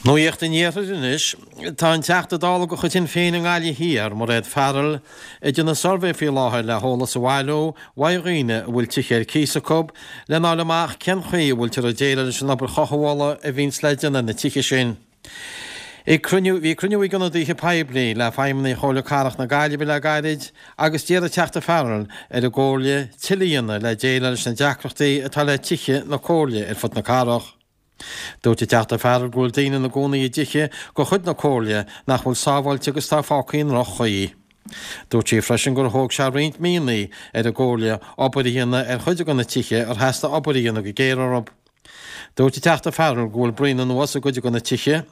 Nuacht an Iarthair anois. Tá an Teachta Dála de chuid Shinn Féin i nGaillimh Thiar, Mairéad Farrell, ag déanamh suirbhé faoi láthair le heolas a bhailiú uaidh dhaoine a bhfuil tithe ar cíos acu lena fháil amach cén chaoi a bhfuiltear ag déileáil leis an obair chothabhála a bhíonns le déanamh ar na tithe sin. Ag cruinniú, bhí cruinniú ag ionadaithe poiblí le feidhmeannaigh Chomhairle Cathrach na Gaillimhe le gairid agus d'iarr an Teachta Farrell ar an gComhairle tuilleadh a dhéanamh le déileáil leis na deacrachtaí atá le tithe na Comhairle ar fud na cathrach. Dúirt an Teachta Farrell go bhfuil daoine ina gcónaí i dtithe de chuid na Comhairle nach bhfuil sábháilte agus atá fágtha i ndroch-chaoi. Dúirt sí freisin gur thóg sé roinnt míonna ar an gComhairle obair a dhéanamh ar chuid de na tithe ar theastaigh obair a dhéanamh go géar orthu. Dúirt an Teachta Farrell go bhfuil braon anuas i gcuid de na tithe,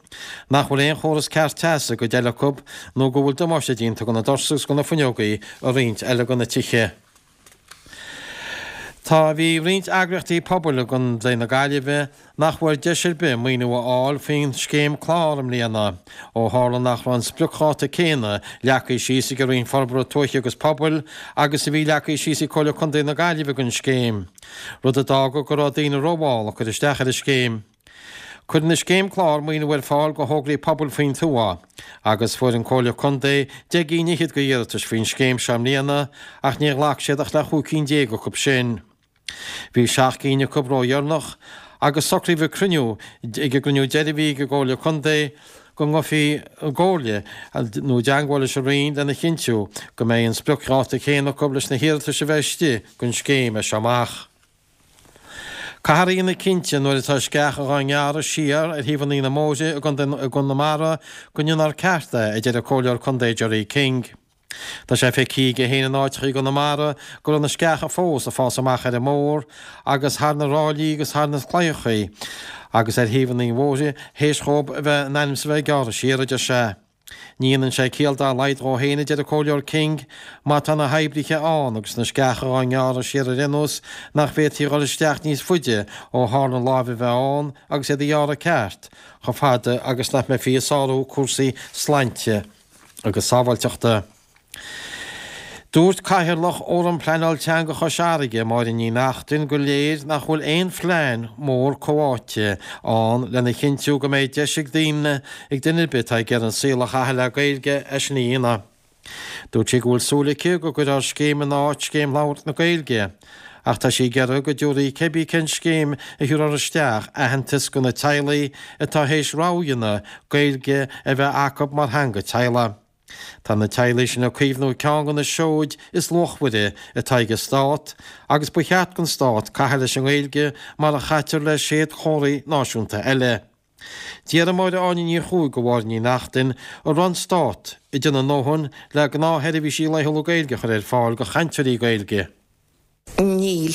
nach bhfuil aon chóras ceart teasa i gcuid eile acu nó go bhfuil damáiste déanta do na doirse agus do na fuinneogaí i roinnt eile de na tithe. Tá bhí roinnt eagraíochtaí pobail i gContae na Gaillimhe nach bhfuair deis ar bith maoiniú a fháil faoin scéim clár i mbliana, ó tharla nach raibh an spriocdháta céanna leagtha síos ag an Roinn Forbartha Tuaithe agus Pobail agus a bhí leagtha síos ag Comhairle Contae na Gaillimhe don scéim. rud a d'fhága go raibh daoine rómhall ag cur isteach ar an scéim. Cuireann an scéim clár maoiniú ar fáil do thograí pobail faoin tuath, agus fuair an Comhairle Contae 10 gcinn fhichead de iarratais faoin scéim seo i mbliana, ach níor ghlac siad ach le 15 cinn acu sin. Bhí 7 gcinn acu ródheireanach, agus socraíodh ag cruinniú ag an gcruinniú deiridh a bhí ag an gComhairle Contae go ngabhfaí i gcomhairle nó i dteangmháil leis an Roinn lena chinntiú go mbeidh an spriocdháta céanna acu leis na hiarratais a bheidh istigh don scéim as seo amach. Caithfear a dhéanamh cinnte nuair atá sceacha dhá ngearradh siar ar thaobhanna na mbóithre i gConamara go ndéanfar ceart é, a deir an Comhairleoir Contae Gerry King. Tá sé feicthe aige féin in áiteacha i gConamara go raibh na sceacha fós ag fás amach ar an mbóthar agus thar na ráillí agus thar na claíochaí agus ar thaobhanna an bhóthair théis dhóibh a bheith in ainm is a bheith gearrtha siar, a deir sé. Ní dhéanann sé ciall dá laghad dhó féin, a deir an Comhairleoir King, má tá na hoibrithe ann agus na sceacha dhá ngearradh siar ar aon nós nach bhféadfaí a dhul isteach níos faide ó tharla láimh a bheith ann agus iad a ghearradh ceart, chomh fada agus nach mbeifí ag sárú cúrsaí sláinte agus sábháilteachta. Dúirt Cathaoirleach Fhóram Pleanáil Teanga Chois Fharraige, Máire Ní Neachtain, gur léir nach bhfuil aon phlean mór comhtháite ann lena chinntiú go mbeidh deis ag daoine, ag duine ar bith atá ag iarraidh an saol a chaitheamh le Gaeilge, é sin a dhéanamh. Dúirt sí go bhfuil súil aici go gcuirfear scéim in áit Scéim Labhairt na Gaeilge, ach tá sí ag iarraidh go dtabharfaí cibé cén scéim a thabharfar isteach aitheantas do na teaghlaigh atá théis rogha a dhéanamh Gaeilge a bheith acu mar theanga teaghlaigh. Tá na teaghlaigh sin ag caomhnú ceann de na seoid is luachmhaire atá ag an Stát agus ba cheart don Stát caitheamh leis an nGaeilge mar a chaitear le séadchomharthaí náisiúnta eile. D'iarr Máire Áine Ní Chuaig de Mháire Ní Neachtain an raibh an Stát ag déanamh a ndóthain le gnáthsheirbhísí laethúla Gaeilge a chur ar fáil do chainteoirí Gaeilge. Níl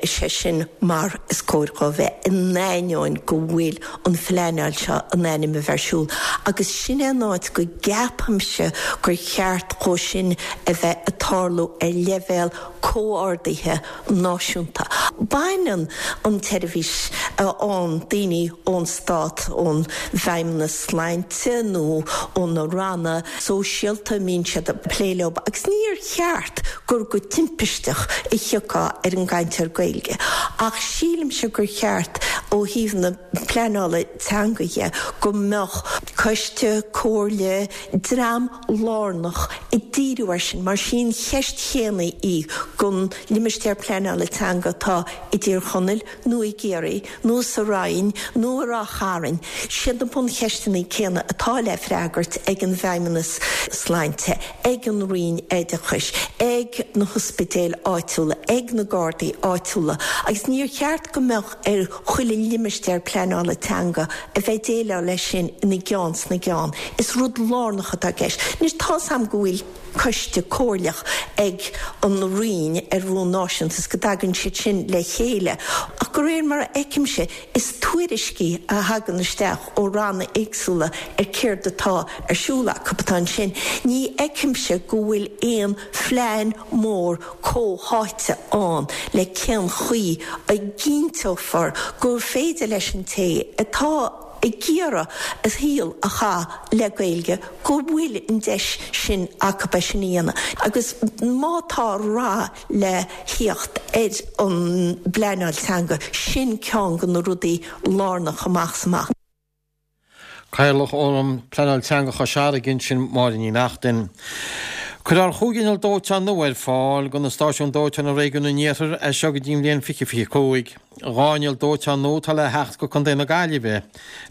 sé sin mar is cóir dhó bheith, in ainneoin go bhfuil an phleanáil seo in ainm a bheith ar siúl. Agus sin é an áit go gceapaimse gur cheart dhó sin a bheith ag tarlú ar leibhéal comhordaithe náisiúnta. Baineann an tseirbhís a fhaigheann daoine ón Stát, ón bhFeidhmeannas Sláinte nó ó na ranna sóisialta a mbíonn siad ag plé leo, agus níor cheart gur go timpisteach a thiocfá ar an gcainteoir Gaeilge ach sílimse gur cheart ó thaobh na pleanála teanga dhe go mbeadh coiste, comhairle, dream lárnach ag díriú air sin mar sí an cheist chéanna í don limistéar pleanála teanga atá i dTír Chonaill nó i gCiarraí nó sa Rinn nó i Ráth Chairn, siad na buncheisteanna céanna atá le freagairt ag an bhFeidhmeannas Sláinte, ag an Roinn Oideachais, ag na hospidéil áitiúla, ag na Gardaí áitiúla agus níor cheart go mbeadh ar chuile limistéar pleanála teanga a bheith ag déileáil leis sin ina gceann sna gceann. Is rud lárnach atá i gceist. Anois tá's a'm go bhfuil. coiste comhairleach ag an Roinn ar bhonn náisiúnta is go dtagann siad sin le chéile ach de réir mar a fheicimse is tuairiscí a thagann isteach ó ranna éagsúla ar céard atá ar siúl acu atá ansin. Ní fheicimse go bhfuil aon phlean mór comhtháite ann le cén chaoi a gcinnteofar gur féidir leis an té atá ag iarraidh a shaol a chaitheamh le Gaeilge go bhfuil an deis sin acu é sin a dhéanamh agus má tá rath le theacht ar an bpleanáil teanga, sin ceann de na rudaí lárnach amach is amach. Cathaoirleach Fhóram Pleanáil Teanga Chois Fharraige ansin, Máire Ní Neachtain. Cuirfear chúig inneall dóiteáin nua ar fáil do na stáisiúin dóiteáin i réigiún an Iarthair as seo go dtí an bhliain 2025. Dhá inneall dóiteáin nua atá le theacht go Contae na Gaillimhe,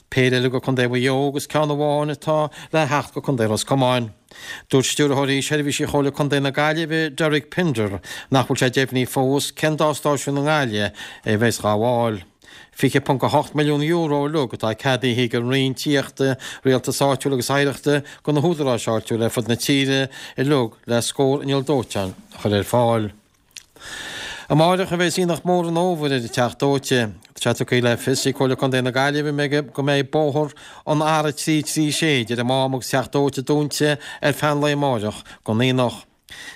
péire eile go Contae Mhaigh Eo agus ceann amháin atá le theacht go Contae Ros Comáin. Dúirt Stiúrthóirí Seirbhísí Chomhairle Contae na Gaillimhe, Derek Pinder, nach bhfuil sé deimhnithe fós cén dá stáisiún i nGaillimh a bheas á ghabháil. €20.8 milliún uilig atá ceadaithe ag an Roinn Tithíochta, Rialtais Áitiúil agus Oidhreachta do na húdaráis áitiúla ar fud na tíre uilig le scór inneall dóiteáin a chur ar fáil. Amáireach a bheas Aonach Mór an Fhómhair ar an Teach Dóite. Tá sé tugtha le fios ag Comhairle Contae na Gaillimhe go mbeidh bóthar an R336 idir an Mám agus Teach Dóite dúnta ar feadh an lae amáireach don aonach.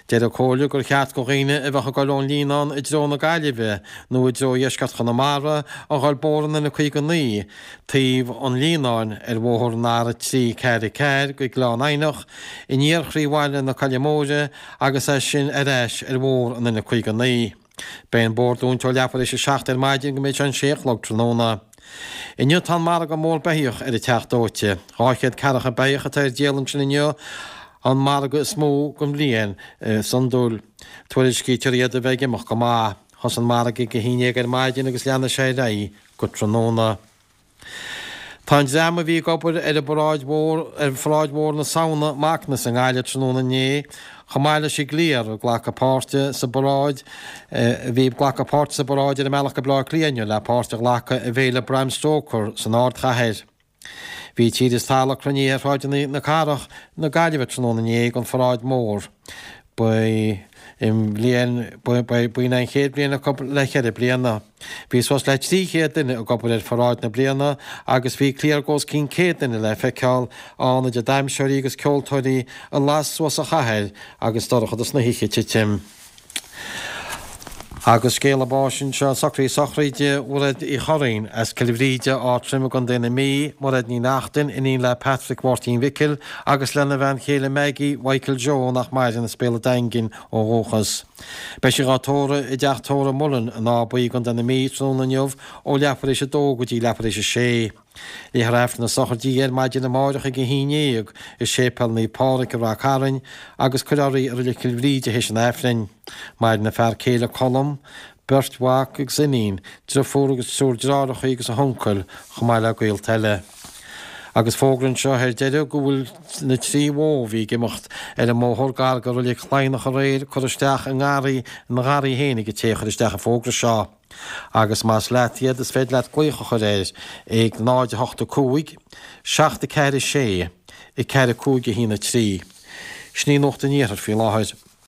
Deir an Comhairle gur cheart do dhaoine a bheadh ag dul ón Líonán i dtreo na Gaillimhe nó i dtreo dheisceart Chonamara a dhul bóthar an N59 taobh an Líonáin ar bhóthar an R344 go Gleann Eidhneach in iar chroí bhaile na Coille Móire agus as sin ar ais ar bhóthar an N59. Beidh an bóthar dúnta ó leathuair éis a 7 ar maidin go mbeidh sé an sé a chlog tráthnóna. Inniu tá an margadh mór beithíoch ar an Teach Dóite. 200 ceathracha beithíoch atá ar díol ansin inniu, an margadh is mó den bhliain is iondúil. Tuairiscítear iad a bheith ag imeacht go maith. Thosaigh an margadh ag a haon dhéag ar maidin agus leanfaidh sé ar aghaidh go tráthnóna. Tá an dream a bhí ag obair ar an bparáid mhór ar pharáid mhór na Samhna, Macnas, i nGaillimh tráthnóna inné, chomh maith leis an gcliar ag glacadh páirte sa bparáid a bhí ag glacadh páirte sa bparáid ar a mbealach go Baile Átha Cliath inniu le páirt a ghlacadh i bhFéile Bram Stoker san ardchathair. Bhí tír is talamh cruinnithe ar shráideanna na cathrach na Gaillimhe tráthnóna inné don pharáid mhór. Ba í an bhliain, ba í an chéad bhliain acu le ceithre bliana. Bhí suas le 300 duine ag obair ar pharáid na bliana agus bhí cliar de os cionn 100 duine le feiceáil ann idir damhsóirí agus ceoltóirí a las suas an chathair agus dorchadas na hoíche ag titim. Agus scéala báis anseo, socraithe sochraide Mhairéad Uí Churraoin as Cill Bhríde, Ard Troim i gContae na Mí, Mairéad Ní Neachtain, iníon le Patrick Mháirtín Mhicil agus lena bhean chéile Maggie Mhichael Joe nach maireann as Béal an Daingin ó dhúchas. Beidh sí dhá tórramh i dteach tórraimh Mullen in Áth Buí i gContae na Mí tráthnóna inniu ó leathuair éis a dó go dtí leathuair éis a sé. Léifear Aifreann na sochraide di ar maidin amáireach ag 11 i Séipéal Naomh Pádraig i Rath Cairn agus cuirfear í i Reilig Chill Bhríde théis an Aifrinn. Maireann a fear céile Colm, beirt mhac agus iníon, driofúr agus triúr deartháireacha agus a huncail, chomh maith le gaolta eile. Agus fógra anseo ar deireadh go bhfuil na trí bhó a bhí ag imeacht ar an mbóthar gar do Reilig Laighneach aréir curtha isteach i ngarraí ina ngarraí féin ag an té a chuir isteach an fógra seo. Agus más leat iad, is féidir leat glaoch a chur air ag 0 8 5 7 4 6 4 5 1 3. Sin í Nuacht an Iarthair faoi láthair.